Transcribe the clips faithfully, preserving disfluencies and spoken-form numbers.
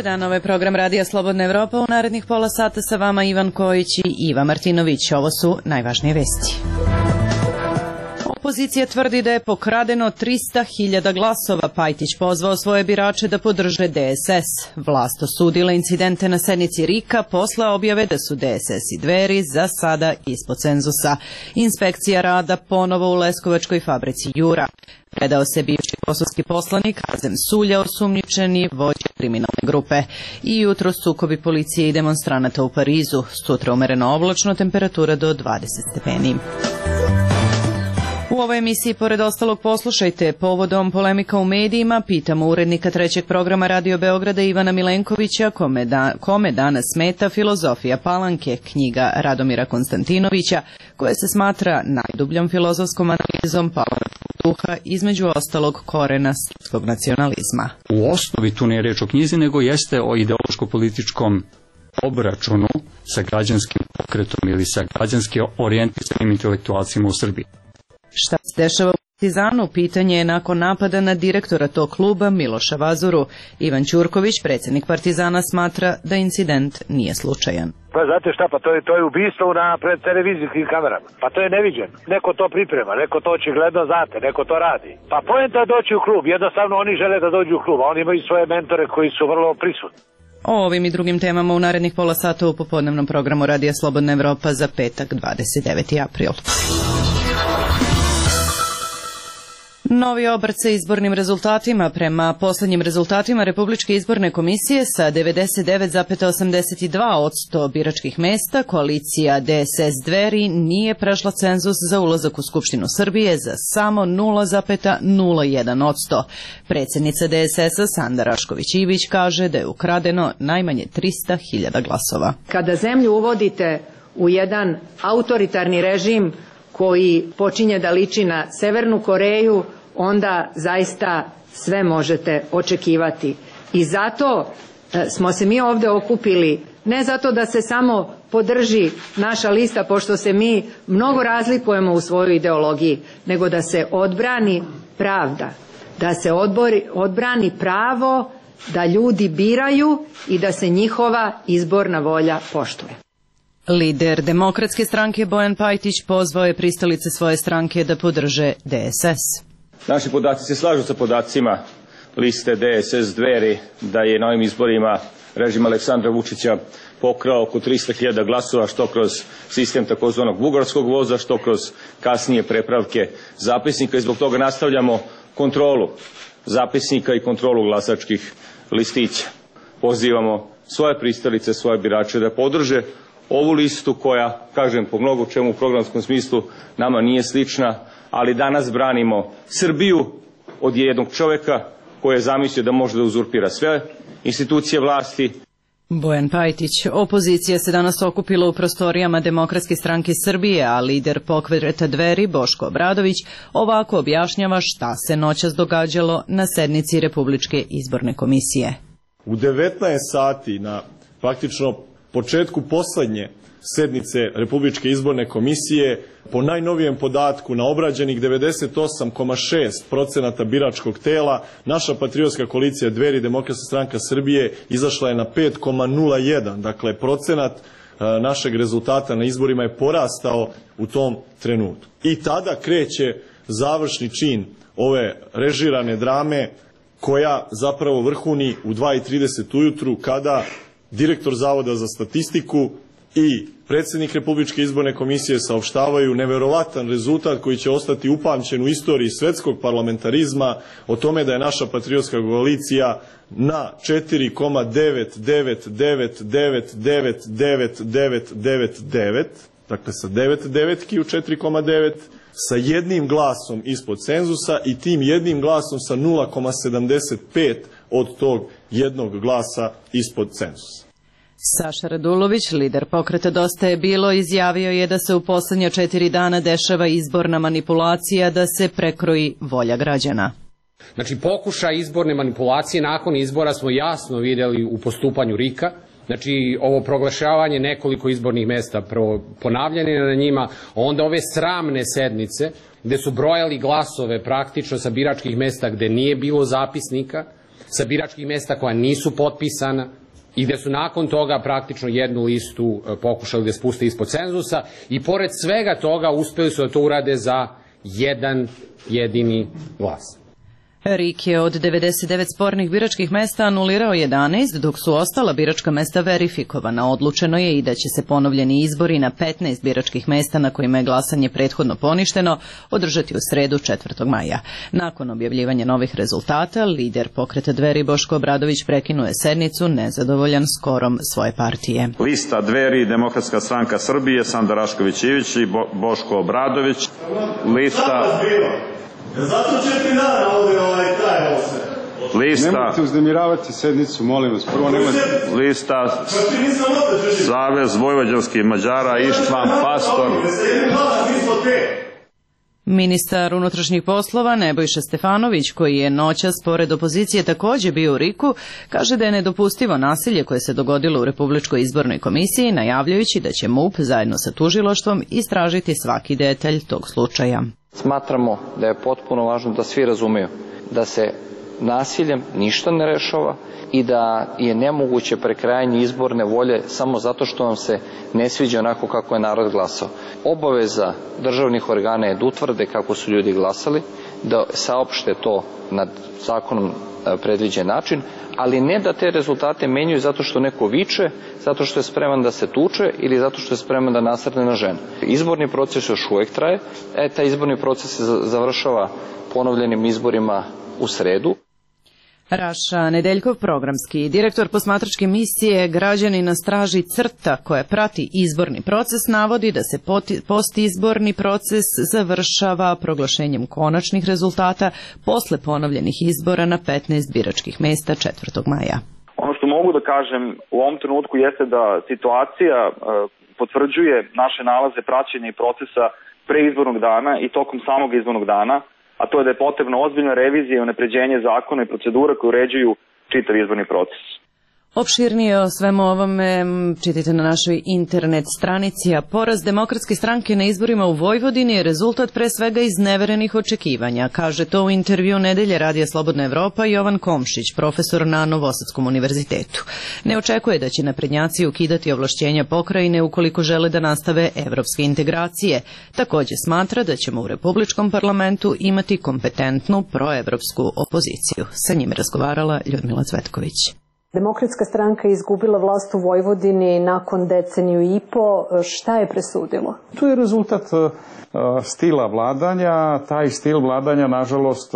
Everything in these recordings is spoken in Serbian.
Dobar dan, ovo je program Radija Slobodna Evropa. U narednih pola sata sa vama Ivan Kojić i Iva Martinović. Ovo su najvažnije vesti. Opozicija tvrdi da je pokradeno trista hiljada glasova. Pajtić pozvao svoje birače da podrže D S S. Vlast osudila incidente na sednici R I K-a posle objave da su D S S i Dveri za sada ispod cenzusa. Inspekcija rada ponovo u Leskovačkoj fabrici Jura. Predao se bivši kosovski poslanik Azem Sulja, osumnjičeni vođa kriminalne grupe. I jutro sukobi policije i demonstranata u Parizu. Sutra umereno oblačno, temperatura do dvadeset stepeni. U ovoj emisiji, pored ostalog, poslušajte povodom polemika u medijima, pitamo urednika trećeg programa Radio Beograda Ivana Milenkovića kome, da, kome danas smeta Filozofija Palanke, knjiga Radomira Konstantinovića, koja se smatra najdubljom filozofskom analizom palančkog duha, između ostalog korena srpskog nacionalizma. U osnovi tu ne je reč o knjizi, nego jeste o ideološko-političkom obračunu sa građanskim pokretom ili sa građanski orijentisanim intelektualcima u Srbiji. Šta se dešava u Partizanu? Pitanje je nakon napada na direktora tog kluba Miloša Vazuru. Ivan Ćurković, predsjednik Partizana, smatra da incident nije slučajan. Pa znate šta, pa to je, to je ubistvo na pred televizijskim kamerama. Pa to je neviđeno. Neko to priprema, neko to očigledno znate, neko to radi. Pa poenta je doći u klub, jednostavno oni žele da dođu u klub, a oni imaju svoje mentore koji su vrlo prisutni. O ovim i drugim temama u narednih pola sata u popodnevnom programu Radija Slobodna Evropa za petak dvadeset deveti april. Novi obrt sa izbornim rezultatima. Prema poslednjim rezultatima Republičke izborne komisije sa devedeset devet zarez osamdeset dva posto biračkih mesta koalicija D S S Dveri nije prešla cenzus za ulazak u Skupštinu Srbije za samo nula zarez nula jedan posto. Predsjednica D S S-a Sanda Rašković-Ivić kaže da je ukradeno najmanje trista hiljada glasova. Kada zemlju uvodite u jedan autoritarni režim koji počinje da liči na Severnu Koreju, onda zaista sve možete očekivati. I zato smo se mi ovde okupili, ne zato da se samo podrži naša lista, pošto se mi mnogo razlikujemo u svojoj ideologiji, nego da se odbrani pravda, da se odbori, odbrani pravo da ljudi biraju i da se njihova izborna volja poštuje. Lider Demokratske stranke Bojan Pajtić pozvao je pristalice svoje stranke da podrže D S S. Naši podaci se slažu sa podacima liste D S S Dveri da je na ovim izborima režim Aleksandra Vučića pokrao oko trista hiljada glasova, što kroz sistem takozvanog bugarskog voza, što kroz kasnije prepravke zapisnika, i zbog toga nastavljamo kontrolu zapisnika i kontrolu glasačkih listića. Pozivamo svoje pristalice, svoje birače da podrže ovu listu koja, kažem, po mnogo čemu u programskom smislu nama nije slična, ali danas branimo Srbiju od jednog čoveka koji je zamislio da može da uzurpira sve institucije vlasti. Bojan Pajtić. Opozicija se danas okupila u prostorijama Demokratske stranke Srbije, a lider pokreta Dveri Boško Obradović ovako objašnjava šta se noćas događalo na sednici Republičke izborne komisije. U devetnaest sati na praktično početku poslednje sednice Republičke izborne komisije, po najnovijem podatku na obrađenih devedeset osam zarez šest procenata biračkog tela, naša patriotska koalicija Dveri Demokratska stranka Srbije izašla je na pet zarez nula jedan. Dakle, procenat našeg rezultata na izborima je porastao u tom trenutku. I tada kreće završni čin ove režirane drame koja zapravo vrhuni u dva i trideset ujutru, kada direktor Zavoda za statistiku i predsjednik Republičke izborne komisije saopštavaju neverovatan rezultat koji će ostati upamćen u istoriji svetskog parlamentarizma, o tome da je naša patriotska koalicija na četiri zarez devet devet devet devet devet devet devet devet devet, dakle sa devet devetki u četiri zarez devet, sa jednim glasom ispod cenzusa i tim jednim glasom sa nula zarez sedamdeset pet od tog jednog glasa ispod cenzusa. Saša Radulović, lider pokreta Dosta je bilo, izjavio je da se u poslednja četiri dana dešava izborna manipulacija, da se prekroji volja građana. Znači, pokušaj izborne manipulacije nakon izbora smo jasno videli u postupanju R I K-a. Znači, ovo proglašavanje nekoliko izbornih mesta, ponavljanje na njima, onda ove sramne sednice gde su brojali glasove praktično sa biračkih mesta gde nije bilo zapisnika, sa biračkih mesta koja nisu potpisana i gde su nakon toga praktično jednu listu pokušali da spuste ispod cenzusa i pored svega toga uspeli su da to urade za jedan jedini glas. RIK je od devedeset devet spornih biračkih mesta anulirao jedanaest, dok su ostala biračka mesta verifikovana. Odlučeno je i da će se ponovljeni izbori na petnaest biračkih mesta na kojima je glasanje prethodno poništeno održati u sredu četvrtog maja. Nakon objavljivanja novih rezultata, lider pokreta Dveri Boško Obradović prekinuje sednicu nezadovoljan skorom svoje partije. Lista Dveri, Demokratska stranka Srbije, Sanda Rašković-Ivić i Bo Boško Obradović. Lista... Zato četiri dana ovdje ovaj traje ovo sve. Lista... Nemojte uznemiravati sednicu, molim vas. Prvo nemojte... Lista... Savez vojvođanskih Mađara, Ištvan Pastor... Ministar unutrašnjih poslova Nebojša Stefanović, koji je noćas pored opozicije također bio u RIK-u, kaže da je nedopustivo nasilje koje se dogodilo u Republičkoj izbornoj komisiji, najavljujući da će MUP zajedno sa tužilaštvom istražiti svaki detalj tog slučaja. Smatramo da je potpuno važno da svi razumeju da se nasiljem ništa ne rešava i da je nemoguće prekrajanje izborne volje samo zato što vam se ne sviđa onako kako je narod glasao. Obaveza državnih organa je da utvrde kako su ljudi glasali, da saopšte to na zakonom predviđen način, ali ne da te rezultate menjaju zato što neko viče, zato što je spreman da se tuče ili zato što je spreman da nasrne na ženu. Izborni proces još uvek traje, e, taj izborni proces se završava ponovljenim izborima u sredu. Raša Nedeljkov, programski direktor posmatračke misije Građani na straži CRTA koja prati izborni proces, navodi da se postizborni proces završava proglašenjem konačnih rezultata posle ponovljenih izbora na petnaest biračkih mesta četvrtog maja. Ono što mogu da kažem u ovom trenutku jeste da situacija e, potvrđuje naše nalaze praćenja i procesa pre izbornog dana i tokom samog izbornog dana, a to je da je potrebna ozbiljna revizija i unapređenje zakona i procedura koje uređuju čitav izborni proces. Opširnije o svemu ovome čitajte na našoj internet stranici, a poraz Demokratske stranke na izborima u Vojvodini je rezultat pre svega izneverenih očekivanja, kaže to u intervju Nedelje Radija Slobodna Evropa Jovan Komšić, profesor na Novosadskom univerzitetu. Ne očekuje da će naprednjaci ukidati ovlašćenja pokrajine ukoliko žele da nastave evropske integracije. Također smatra da ćemo u Republičkom parlamentu imati kompetentnu proevropsku opoziciju. Sa njim razgovarala Ljudmila Cvetković. Demokratska stranka je izgubila vlast u Vojvodini nakon deceniju i po. Šta je presudilo? To je rezultat stila vladanja. Taj stil vladanja, nažalost,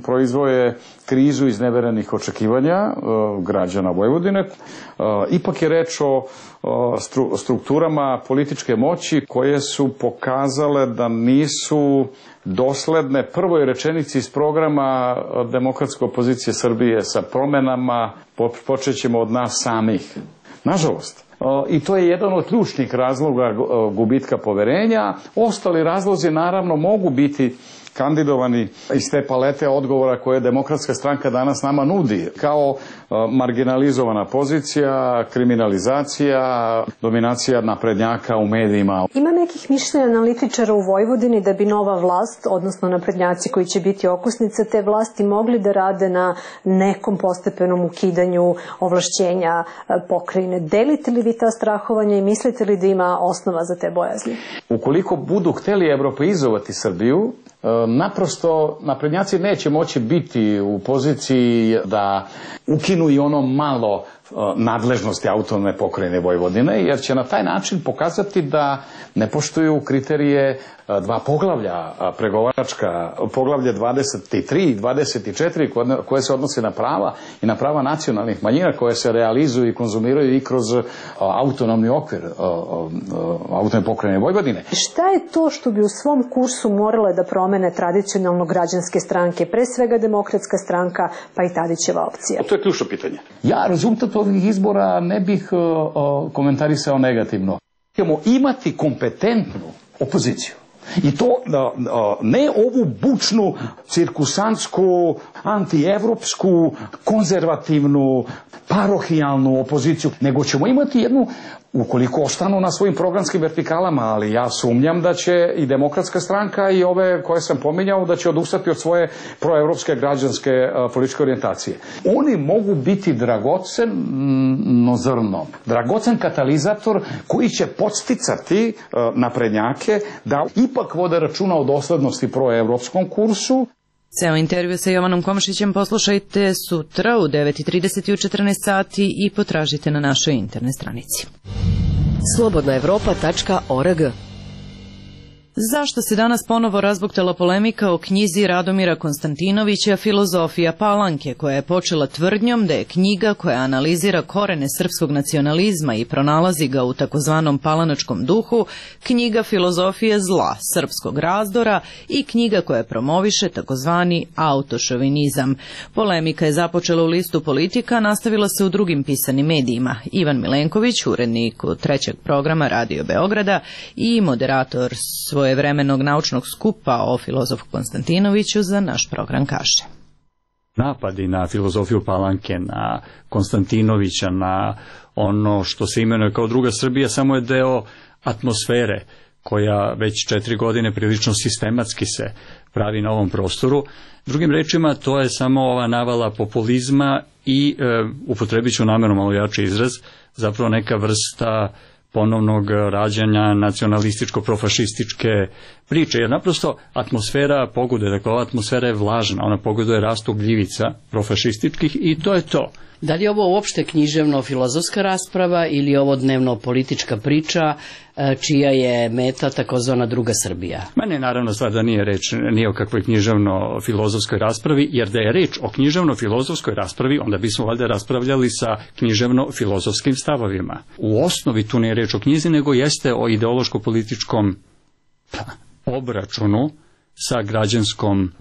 proizvoje krizu izneverenih očekivanja građana Vojvodine. Ipak je reč o strukturama političke moći koje su pokazale da nisu dosledne prvoj rečenici iz programa Demokratske opozicije Srbije sa promenama, počećemo od nas samih. Nažalost. I to je jedan od ključnih razloga gubitka poverenja. Ostali razlozi naravno mogu biti kandidovani iz te palete odgovora koje Demokratska stranka danas nama nudi, kao marginalizovana pozicija, kriminalizacija, dominacija naprednjaka u medijima. Ima nekih mišljenja analitičara u Vojvodini da bi nova vlast, odnosno naprednjaci koji će biti okosnice te vlasti, mogli da rade na nekom postepenom ukidanju ovlašćenja pokrajine. Delite li vi ta strahovanja i mislite li da ima osnova za te bojazni? Ukoliko budu hteli evropeizovati Srbiju, naprosto naprednjaci neće moći biti u poziciji da ukinu i ono malo nadležnosti autonomne pokrajine Vojvodine, jer će na taj način pokazati da ne poštuju kriterije dva poglavlja pregovaračka, poglavlje dvadeset tri i dvadeset četiri koje se odnose na prava i na prava nacionalnih manjina koje se realizuju i konzumiraju i kroz autonomni okvir autonomne pokrajine Vojvodine. Šta je to što bi u svom kursu morale da promene tradicionalno građanske stranke, pre svega Demokratska stranka pa i Tadićeva opcija? To je ključno pitanje. Ja rezultat ovih izbora ne bih komentarisao negativno. Ćemo imati kompetentnu opoziciju I to ne ovu bučnu, cirkusantsku, antievropsku, konzervativnu, parohijalnu opoziciju, nego ćemo imati jednu, ukoliko ostanu na svojim programskim vertikalama, ali ja sumnjam da će i Demokratska stranka i ove koje sam pominjao da će odustati od svoje proevropske građanske političke orijentacije. Oni mogu biti dragoceno zrno, dragocen katalizator koji će podsticati naprednjake da ipak vode računa o doslednosti proevropskom kursu. Ceo intervju sa Jovanom Komšićem poslušajte sutra u devet i trideset i u četrnaest sati i potražite na našoj internet stranici. slobodna evropa tačka org. Zašto se danas ponovo razbuktala polemika o knjizi Radomira Konstantinovića Filozofija Palanke, koja je počela tvrdnjom da je knjiga koja analizira korene srpskog nacionalizma i pronalazi ga u takozvanom palanačkom duhu, knjiga Filozofije zla, srpskog razdora i knjiga koja promoviše takozvani autošovinizam. Polemika je započela u listu Politika, nastavila se u drugim pisanim medijima. Ivan Milenković, urednik trećeg programa Radio Beograda i moderator svoje vremenog naučnog skupa o filozofu Konstantinoviću za naš program kaže. Napadi na filozofiju Palanke, na Konstantinovića, na ono što se imenuje kao druga Srbija, samo je deo atmosfere koja već četiri godine prilično sistematski se pravi na ovom prostoru. Drugim rečima, to je samo ova navala populizma i, e, upotrebit ću namjerno malo jači izraz, zapravo neka vrsta ponovnog rađanja nacionalističko-profašističke priče, jer naprosto atmosfera pogoduje, dakle ova atmosfera je vlažna, ona pogoduje rastu gljivica profašističkih i to je to. Da li je ovo uopšte književno-filozofska rasprava ili ovo dnevno-politička priča čija je meta takozvana druga Srbija? Mene je naravno stvar da nije reč nije o kakvoj književno-filozofskoj raspravi, jer da je reč o književno-filozofskoj raspravi, onda bismo valjda raspravljali sa književno-filozofskim stavovima. U osnovi tu nije reč o knjizi, nego jeste o ideološko-političkom obračunu sa građanskom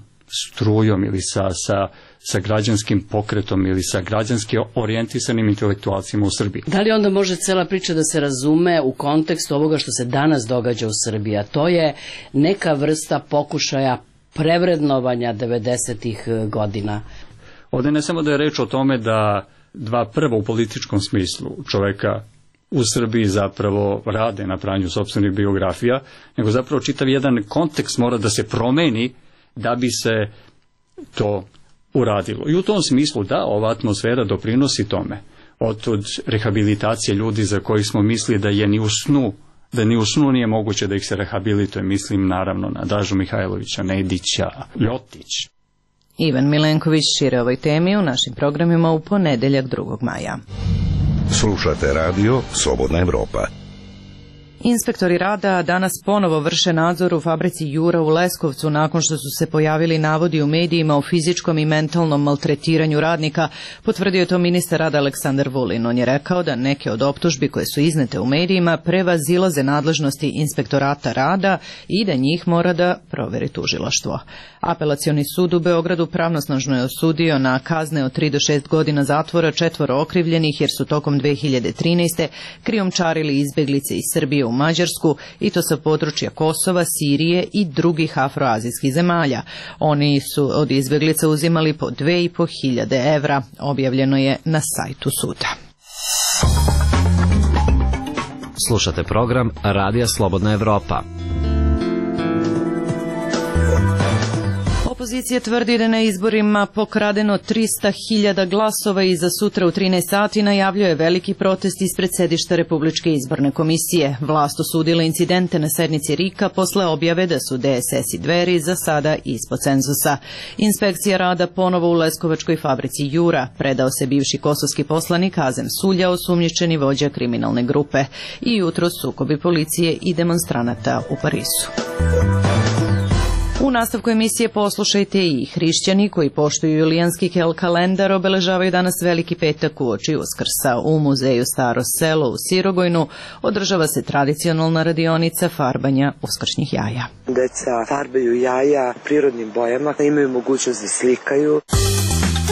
strujom ili sa, sa, sa građanskim pokretom ili sa građanski orijentisanim intelektualcima u Srbiji. Da li onda može cela priča da se razume u kontekstu ovoga što se danas događa u Srbiji, a to je neka vrsta pokušaja prevrednovanja devedesetih godina? Ovdje ne samo da je reč o tome da dva prva u političkom smislu čoveka u Srbiji zapravo rade na pranju sopstvenih biografija, nego zapravo čitav jedan kontekst mora da se promeni da bi se to uradilo. I u tom smislu da, ova atmosfera doprinosi tome. Od rehabilitacije ljudi za koji smo mislili da je ni u snu, da ni u snu nije moguće da ih se rehabilituje, mislim naravno na Dažu Mihajlovića, Nedića, Ljotić. Ivan Milenković šire ovoj temi u našim programima u ponedeljak drugog maja. Slušate radio Slobodna Evropa. Inspektori rada danas ponovo vrše nadzor u fabrici Jura u Leskovcu nakon što su se pojavili navodi u medijima o fizičkom i mentalnom maltretiranju radnika, potvrdio je to ministar rada Aleksandar Vulin. On je rekao da neke od optužbi koje su iznete u medijima prevazilaze nadležnosti inspektorata rada i da njih mora da proveri tužilaštvo. Apelacioni sud u Beogradu pravnosnažno je osudio na kazne od tri do šest godina zatvora četvoro okrivljenih jer su tokom dve hiljade trinaeste. krijumčarili izbeglice iz Srbije u Mađarsku i to sa područja Kosova, Sirije i drugih afroazijskih zemalja. Oni su od izbeglica uzimali po dve i po hiljade evra. Objavljeno je na sajtu suda. Slušate program Radija Slobodna Evropa. Opozicija tvrdi da na izborima pokradeno trista hiljada glasova i za sutra u trinaest sati najavljuje veliki protest ispred sedišta Republičke izborne komisije. Vlast osudila incidente na sednici RIK-a posle objave da su D S S i Dveri za sada ispod cenzusa. Inspekcija rada ponovo u Leskovačkoj fabrici Jura. Predao se bivši kosovski poslanik Azem Sulja, osumnjičeni vođa kriminalne grupe. I jutro sukobi policije i demonstranata u Parizu. U nastavku emisije poslušajte i hrišćani koji poštuju julijanski kalendar obeležavaju danas Veliki petak uoči Uskrsa. U muzeju Staro selo u Sirogojnu održava se tradicionalna radionica farbanja uskršnjih jaja. Deca farbaju jaja prirodnim bojama, imaju mogućnost da slikaju.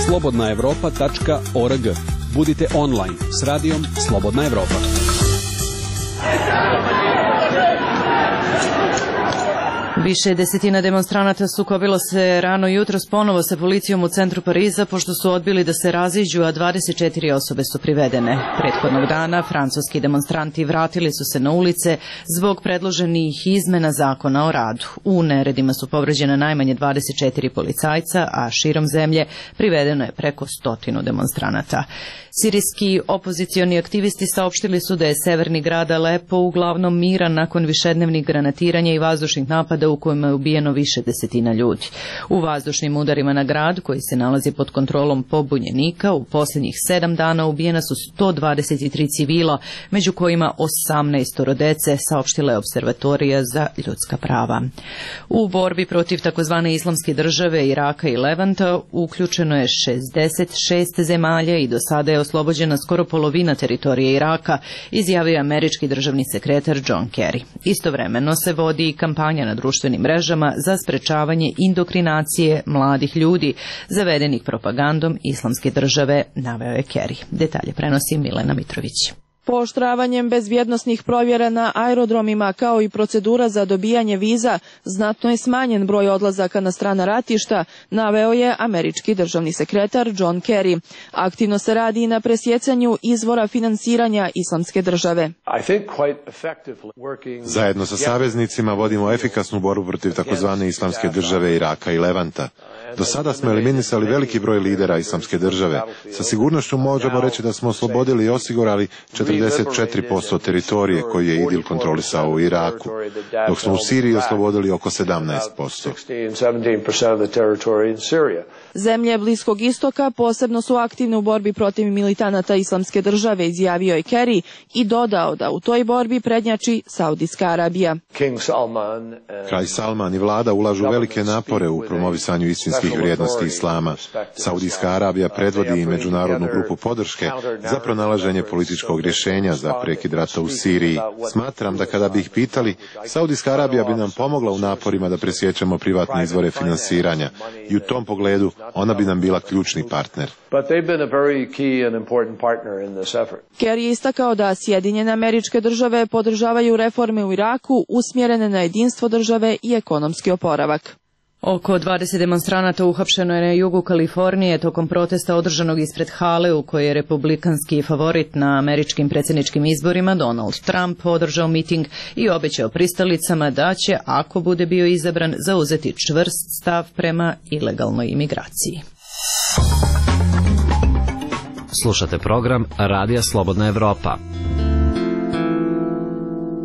slobodna evropa tačka org. Budite online s radijom Slobodna Evropa. Više desetina demonstranata sukobilo se rano jutros ponovo sa policijom u centru Pariza pošto su odbili da se raziđu, a dvadeset četiri osobe su privedene. Prethodnog dana francuski demonstranti vratili su se na ulice zbog predloženih izmena zakona o radu. U neredima su povređena najmanje dvadeset četiri policajca, a širom zemlje privedeno je preko stotinu demonstranata. Sirijski opozicioni aktivisti saopštili su da je severni grad Alepo uglavnom miran nakon višednevnih granatiranja i vazdušnih napada u kojima je ubijeno više desetina ljudi. U vazdušnim udarima na grad, koji se nalazi pod kontrolom pobunjenika, u posljednjih sedam dana ubijena su sto dvadeset tri civila, među kojima osamnaest dece, saopštila je Observatorija za ljudska prava. U borbi protiv takozvane islamske države, Iraka i Levanta uključeno je šezdeset šest zemalja i do sada je oslobođena skoro polovina teritorije Iraka, izjavio je američki državni sekretar John Kerry. Istovremeno se vodi i kampanja na društvenim mrežama za sprečavanje indoktrinacije mladih ljudi zavedenih propagandom islamske države, naveo je Kerry. Detalje prenosi Milena Mitrović. Pooštravanjem bezbjednosnih provjera na aerodromima kao i procedura za dobijanje viza znatno je smanjen broj odlazaka na strana ratišta, naveo je američki državni sekretar John Kerry. Aktivno se radi i na presjecanju izvora finansiranja islamske države. Zajedno sa saveznicima vodimo efikasnu borbu protiv takozvane islamske države Iraka i Levanta. Do sada smo eliminisali veliki broj lidera islamske države. Sa sigurnošću možemo reći da smo oslobodili i osigurali četrdeset četiri posto teritorije koju je IDIL kontrolisao u Iraku, dok smo u Siriji oslobodili oko sedamnaest posto. Zemlje Bliskog istoka posebno su aktivne u borbi protiv militanata islamske države, izjavio je Kerry i dodao da u toj borbi prednjači Saudijska Arabija. Kralj Salman i vlada ulažu velike napore u promovisanju istinskih vrijednosti islama. Saudijska Arabija predvodi i međunarodnu grupu podrške za pronalaženje političkog rješenja za prekid rata u Siriji. Smatram da kada bi ih pitali, Saudijska Arabija bi nam pomogla u naporima da presjećemo privatne izvore finansiranja i u tom pogledu ona bi nam bila ključni partner. Kerry je istakao da Sjedinjene Američke Države podržavaju reforme u Iraku usmjerene na jedinstvo države i ekonomski oporavak. Oko dvadeset demonstranata uhapšeno je na jugu Kalifornije tokom protesta održanog ispred hale u kojoj je republikanski favorit na američkim predsjedničkim izborima Donald Trump održao miting i obećao pristalicama da će, ako bude bio izabran, zauzeti čvrst stav prema ilegalnoj imigraciji. Slušate program Radija Slobodna Evropa.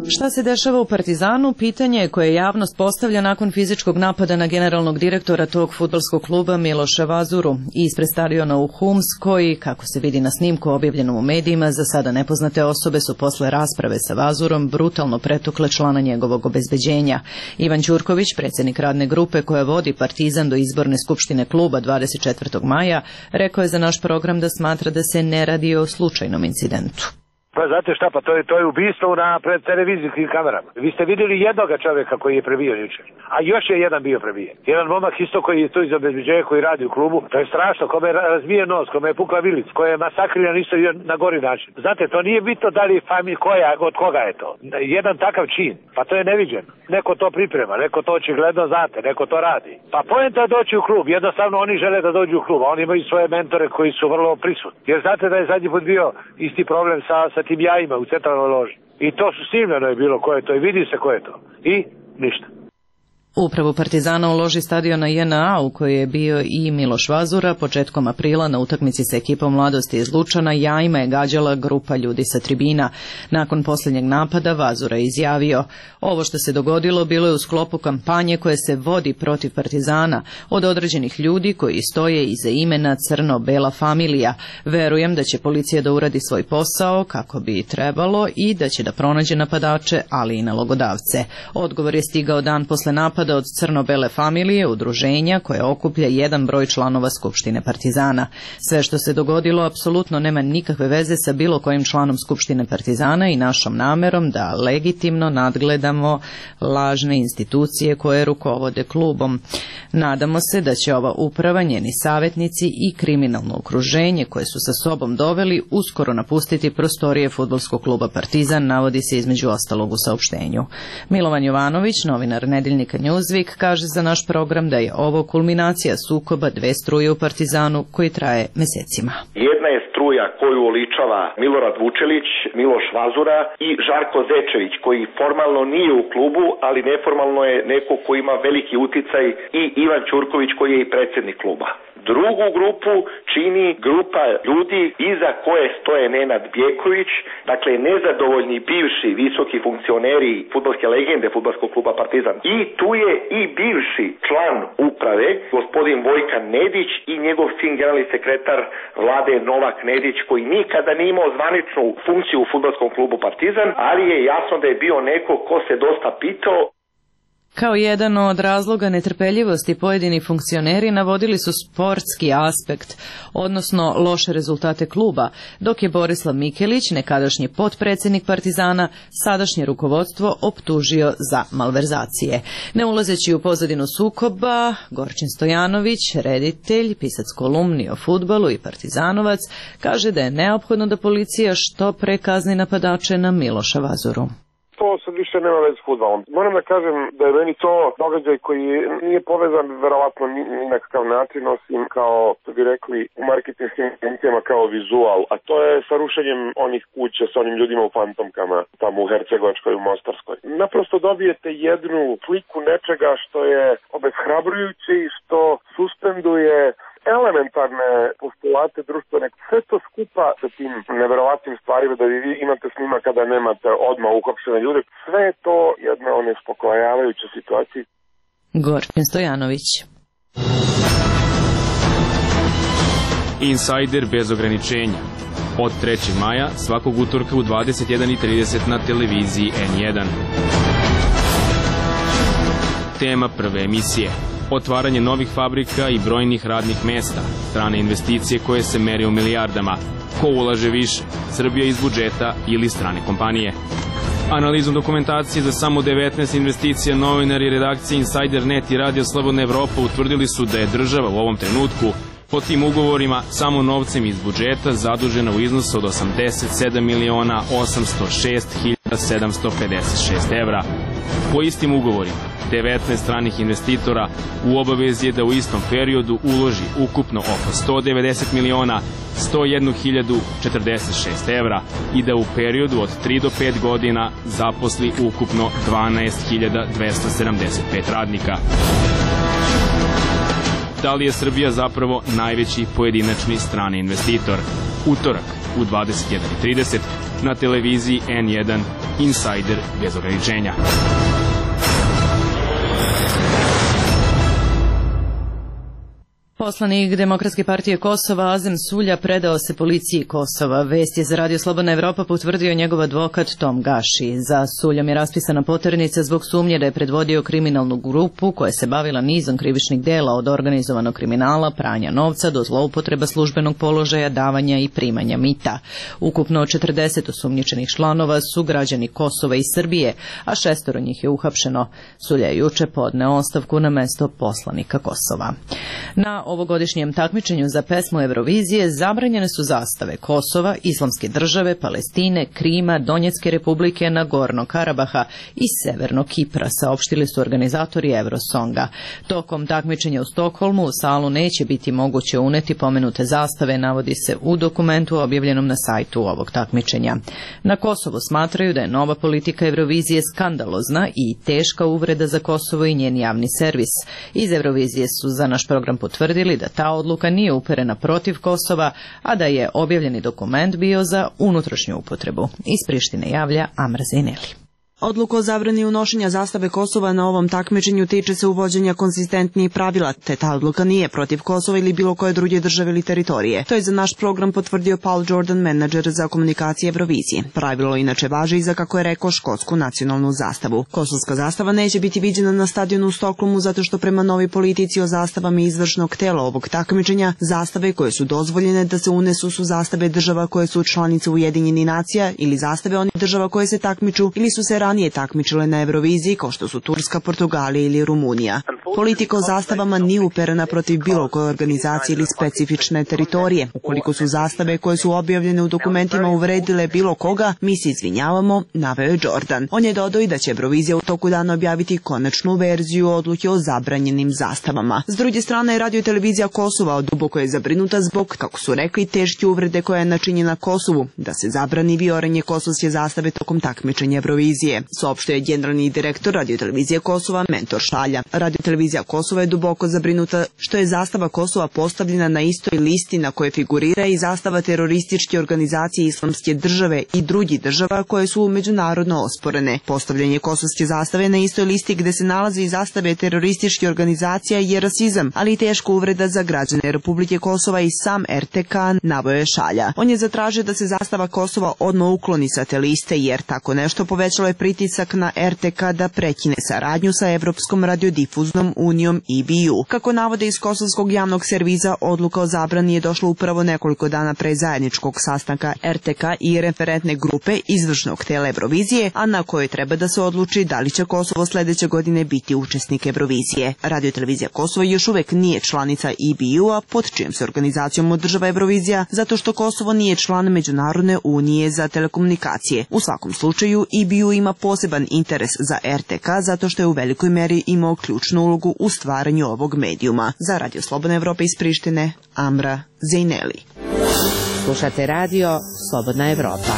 Šta se dešava u Partizanu? Pitanje je koje javnost postavlja nakon fizičkog napada na generalnog direktora tog fudbalskog kluba Miloša Vazuru ispred stadiona u Hums, koji, kako se vidi na snimku objavljenom u medijima, za sada nepoznate osobe su posle rasprave sa Vazurom brutalno pretukle člana njegovog obezbeđenja. Ivan Ćurković, predsjednik radne grupe koja vodi Partizan do izborne skupštine kluba dvadeset četvrtog maja, rekao je za naš program da smatra da se ne radi o slučajnom incidentu. Pa znate šta, pa to je, to je ubistvo na pred televizijskim kamerama. Vi ste vidjeli jednoga čovjeka koji je prebio jučer, a još je jedan bio prebijen. Jedan momak isto koji je tu iz obezbeđenja koji radi u klubu, to je strašno, kome je razbijen nos, kome je pukla vilic, koji je masakriran isto na gori način. Znate, to nije bitno da li familj koja, od koga je to. Jedan takav čin, pa to je neviđen. Neko to priprema, neko to očigledno znate, neko to radi. Pa poenta je doći u klub, jednostavno oni žele da dođu u klub, a oni imaju svoje mentore koji su vrlo prisutni. Jer znate da je zadnji put bio isti problem sa, sa tim jajima u centralnoj loži. I to su snimljeno je bilo ko je to i vidi se ko je to. I ništa. Upravu Partizana u loži stadiona J N A u kojoj je bio i Miloš Vazura početkom aprila na utakmici sa ekipom Mladosti iz Lučana jajima je gađala grupa ljudi sa tribina. Nakon posljednjeg napada Vazura je izjavio: ovo što se dogodilo bilo je u sklopu kampanje koje se vodi protiv Partizana od određenih ljudi koji stoje iza imena Crno-Bela familija. Verujem da će policija da uradi svoj posao kako bi trebalo i da će da pronađe napadače, ali i nalogodavce. Odgovor je stigao dan posle napada od Crno-Bele familije, udruženja koje okuplja jedan broj članova Skupštine Partizana. Sve što se dogodilo apsolutno nema nikakve veze sa bilo kojim članom Skupštine Partizana i našom namerom da legitimno nadgledamo lažne institucije koje rukovode klubom. Nadamo se da će ova uprava, njeni savjetnici i kriminalno okruženje koje su sa sobom doveli uskoro napustiti prostorije fudbalskog kluba Partizan, navodi se između ostalog u saopštenju. Milovan Jovanović, novinar nedeljnika Nju Newsweek kaže za naš program da je ovo kulminacija sukoba dve struje u Partizanu koji traje mesecima. Jedna je struja koju oličava Milorad Vučelić, Miloš Vazura i Žarko Zečević, koji formalno nije u klubu, ali neformalno je neko ko ima veliki uticaj, i Ivan Ćurković koji je i predsjednik kluba. Drugu grupu čini grupa ljudi iza koje stoje Nenad Bjeković, dakle nezadovoljni bivši visoki funkcioneri fudbalske legende fudbalskog kluba Partizan. I tu je i bivši član uprave, gospodin Vojkan Nedić, i njegov sin generalni sekretar vlade Novak Nedić, koji nikada nije imao zvaničnu funkciju u fudbalskom klubu Partizan, ali je jasno da je bio neko ko se dosta pitao. Kao jedan od razloga netrpeljivosti pojedini funkcioneri navodili su sportski aspekt, odnosno loše rezultate kluba, dok je Borislav Mikelić, nekadašnji potpredsjednik Partizana, sadašnje rukovodstvo optužio za malverzacije. Ne ulazeći u pozadinu sukoba, Gorčin Stojanović, reditelj, pisac kolumni o fudbalu i partizanovac, kaže da je neophodno da policija što pre kazni napadače na Miloša Vazuru. To sad više nema veze s fudbalom. Moram da kažem da je meni to događaj koji nije povezan verovatno ni na kakav način, osim kao, što bi rekli, u marketinškim funkcijama kao vizual, a to je sa rušenjem onih kuća sa onim ljudima u fantomkama tamo u Hercegovačkoj, u Mostarskoj. Naprosto dobijete jednu sliku nečega što je obeshrabrujuće i što suspenduje elementarne postulate društvene, sve to skupa sa tim neverovatnim stvarima da vi imate snima kada nemate odmah uhapšene ljude, sve je to jedna onespokojavajuća situacija. Gorčin Stojanović. Insider bez ograničenja. Od trećeg maja svakog utorka u dvadeset jedan i trideset na televiziji N jedan. Tema prve emisije. Otvaranje novih fabrika i brojnih radnih mesta, strane investicije koje se mere u milijardama. Ko ulaže više, Srbija iz budžeta ili strane kompanije? Analizom dokumentacije za samo devetnaest investicija novinari redakcije Insider punkt net i Radio Slobodna Evropa utvrdili su da je država u ovom trenutku po tim ugovorima samo novcem iz budžeta zadužena u iznosu od osamdeset sedam miliona osamsto šest hiljada sedamsto pedeset šest evra. Po istim ugovorima, devetnaest stranih investitora u obavezi je da u istom periodu uloži ukupno oko sto devedeset miliona sto jednu hiljadu četrdeset šest evra i da u periodu od tri do pet godina zaposli ukupno dvanaest hiljada dvesta sedamdeset pet radnika. Da li je Srbija zapravo najveći pojedinačni strani investitor? Utorak u dvadeset jedan i trideset na televiziji N jedan Insider bez ograničenja. Poslanik Demokratske partije Kosova Azem Sulja predao se policiji Kosova. Vest je za Radio Slobodna Evropa potvrdio njegov advokat Tom Gaši. Za Suljom je raspisana poternica zbog sumnje da je predvodio kriminalnu grupu koja se bavila nizom krivičnih dela od organizovanog kriminala, pranja novca do zloupotreba službenog položaja, davanja i primanja mita. Ukupno četrdeset osumnjičenih članova su građani Kosova i Srbije, a šestoro njih je uhapšeno. Sulja je juče podneo ostavku na mesto poslanika Kosova. Na ovogodišnjem takmičenju za pesmu Eurovizije zabranjene su zastave Kosova, Islamske države, Palestine, Krima, Donjecke republike, Nagorno Karabaha i Severnog Kipra, saopštili su organizatori Eurosonga. Tokom takmičenja u Stokholmu u salu neće biti moguće uneti pomenute zastave, navodi se u dokumentu objavljenom na sajtu ovog takmičenja. Na Kosovu smatraju da je nova politika Eurovizije skandalozna i teška uvreda za Kosovo i njen javni servis. Iz Eurovizije su za naš program potvrdili da ta odluka nije uperena protiv Kosova, a da je objavljeni dokument bio za unutrašnju upotrebu. Iz Prištine javlja Amra Zineli. Odluka o zabrani unošenja zastave Kosova na ovom takmičenju tiče se uvođenja konzistentnijih pravila, te ta odluka nije protiv Kosova ili bilo koje druge države ili teritorije. To je za naš program potvrdio Paul Jordan, menadžer za komunikacije Eurovizije. Pravilo inače važi i za, kako je rekao, škotsku nacionalnu zastavu. Kosovska zastava neće biti viđena na stadionu u Stokholmu zato što prema novoj politici o zastavama izvršnog tela ovog takmičenja, zastave koje su dozvoljene da se unesu su zastave država koje su članice Ujedinjenih nacija ili zastave onih država koje se takmiču ili su se ranije takmičile na Euroviziji, kao što su Turska, Portugalija ili Rumunija. Politika o zastavama nije uperena protiv bilo koje organizacije ili specifične teritorije. Ukoliko su zastave koje su objavljene u dokumentima uvredile bilo koga, mi se izvinjavamo, naveo je Jordan. On je dodao i da će Eurovizija u toku dana objaviti konačnu verziju odluke o zabranjenim zastavama. S druge strane, Radio i televizija Kosova duboko je zabrinuta zbog, kako su rekli, teške uvrede koja je načinjena Kosovu, da se zabrani vijoranje kosovske zastave tokom takmičenja Eurovizije. Saopštio je generalni direktor Radio i televizije Kosova Mentor Šalja. Radio i televizija Kosova je duboko zabrinuta što je zastava Kosova postavljena na istoj listi na kojoj figurira i zastava terorističke organizacije Islamske države i drugih država koje su međunarodno osporene. Postavljanje kosovske zastave na istoj listi gde se nalaze i zastave terorističke organizacija je rasizam, ali i teška uvreda za građane Republike Kosova i sam R T K, naveo je Šalja. On je zatražio da se zastava Kosova odmah ukloni sa te liste, jer tako nešto povećalo je pritisak na R T K da prekine saradnju sa Evropskom radiodifuznom unijom E B U. Kako navode iz kosovskog javnog servisa, odluka o zabrani je došla upravo nekoliko dana pre zajedničkog sastanka R T K i referentne grupe izvršnog tela Eurovizije, a na kojoj treba da se odluči da li će Kosovo sledeće godine biti učesnik Eurovizije. Radio i televizija Kosovo još uvek nije članica E B U-a, pod čijom se organizacijom održava Eurovizija, zato što Kosovo nije član Međunarodne unije za telekomunikacije. U svakom slučaju, E B U ima poseban interes za R T K zato što je u velikoj meri imao ključnu ulogu u stvaranju ovog medijuma. Za Radio Slobodna Evropa iz Prištine, Amra Zejneli. Slušate radio Slobodna Evropa.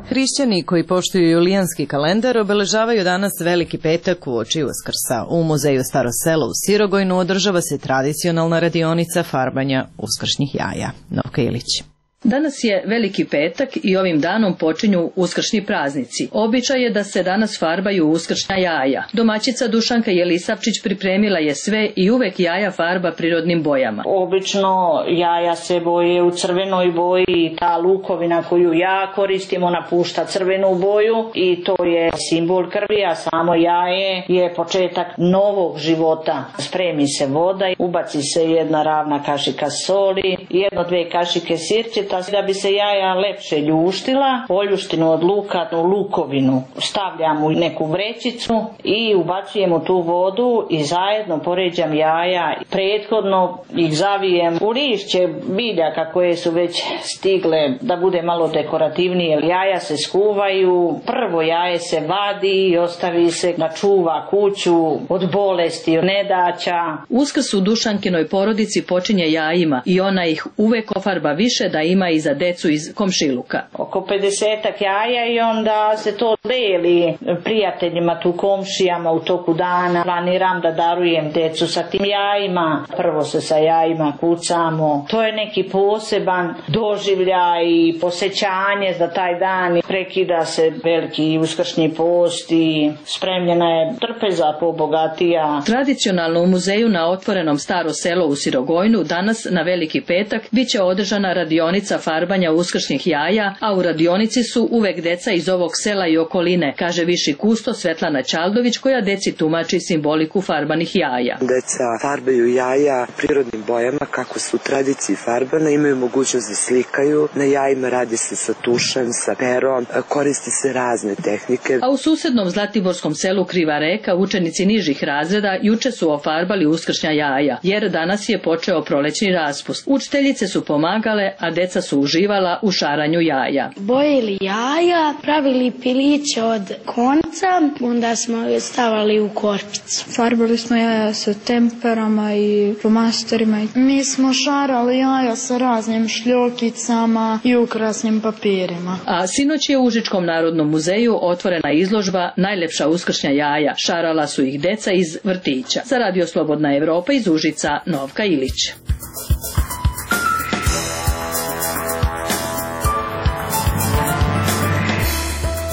Hrišćani koji poštuju julijanski kalendar obeležavaju danas Veliki petak uoči Uskrsa. U muzeju Staro selo u Sirogojnu održava se tradicionalna radionica farbanja uskršnjih jaja. Novka Ilić. Danas je Veliki petak i ovim danom počinju uskršnji praznici. Običaj je da se danas farbaju uskršnja jaja. Domaćica Dušanka Jelisavčić pripremila je sve i uvek jaja farba prirodnim bojama. Obično jaja se boje u crvenoj boji i ta lukovina koju ja koristim, ona pušta crvenu boju i to je simbol krvi, a samo jaje je početak novog života. Spremi se voda, ubaci se jedna ravna kašika soli, jedno dve kašike sirćeta, da bi se jaja lepše ljuštila. Oljuštinu od luka u lukovinu stavljam u neku vrećicu i ubacujem u tu vodu i zajedno poređam jaja. Prethodno ih zavijem u lišće biljaka koje su već stigle da bude malo dekorativnije. Jaja se skuvaju, prvo jaje se vadi i ostavi se da čuva kuću od bolesti, od nedaća. Uskrs u Dušankinoj porodici počinje jajima i ona ih uvek ofarba više da ima i za decu iz komšiluka. Oko pedesetak jaja i onda se to deli prijateljima tu komšijama u toku dana. Planiram da darujem decu sa tim jajima. Prvo se sa jajima kucamo. To je neki poseban doživljaj i posećanje za taj dan. Prekida se veliki uskršnji post i spremljena je trpeza pobogatija. Tradicionalno u muzeju na otvorenom Staro selo u Sirogojnu danas na Veliki petak biće održana radionica farbanja uskršnjih jaja, a u radionici su uvek deca iz ovog sela i okoline, kaže viši kusto Svetlana Ćaldović, koja deci tumači simboliku farbanih jaja. Deca farbaju jaja prirodnim bojama kako su u tradiciji farbana, imaju mogućnost da slikaju. Na jajima radi se sa tušem, sa perom, koristi se razne tehnike. A u susednom zlatiborskom selu Kriva Reka učenici nižih razreda juče su ofarbali uskršnja jaja, jer danas je počeo prolećni raspust. Učiteljice su pomagale, a deca su uživala u šaranju jaja. Bojili jaja, pravili piliće od konca, onda smo stavali u korpicu. Farbali smo jaja sa temperama i flomasterima. Mi smo šarali jaja sa raznim šljokicama i ukrasnim papirima. A sinoć je u Užičkom narodnom muzeju otvorena izložba Najlepša uskršnja jaja. Šarala su ih deca iz vrtića. Za Radio Slobodna Evropa iz Užica, Novka Ilić.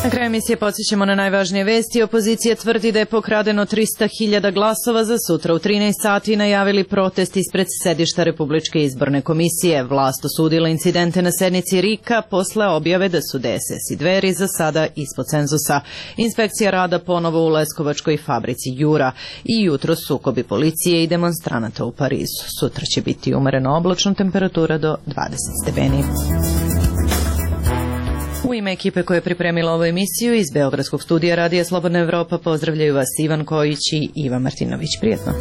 Na kraju emisije podsjećamo na najvažnije vesti. Opozicija tvrdi da je pokradeno trista hiljada glasova. Za sutra u trinaest sati najavili protest ispred sedišta Republičke izborne komisije. Vlast osudila incidente na sednici R I K-a posle objave da su D S S i Dveri za sada ispod cenzusa. Inspekcija rada ponovo u Leskovačkoj fabrici Jura i jutro sukobi policije i demonstranata u Parizu. Sutra će biti umereno oblačno, temperatura do dvadeset stepeni. U ime ekipe koja je pripremila ovu emisiju iz Beogradskog studija Radija Slobodna Evropa pozdravljaju vas Ivan Kojić i Iva Martinović. Prijetno.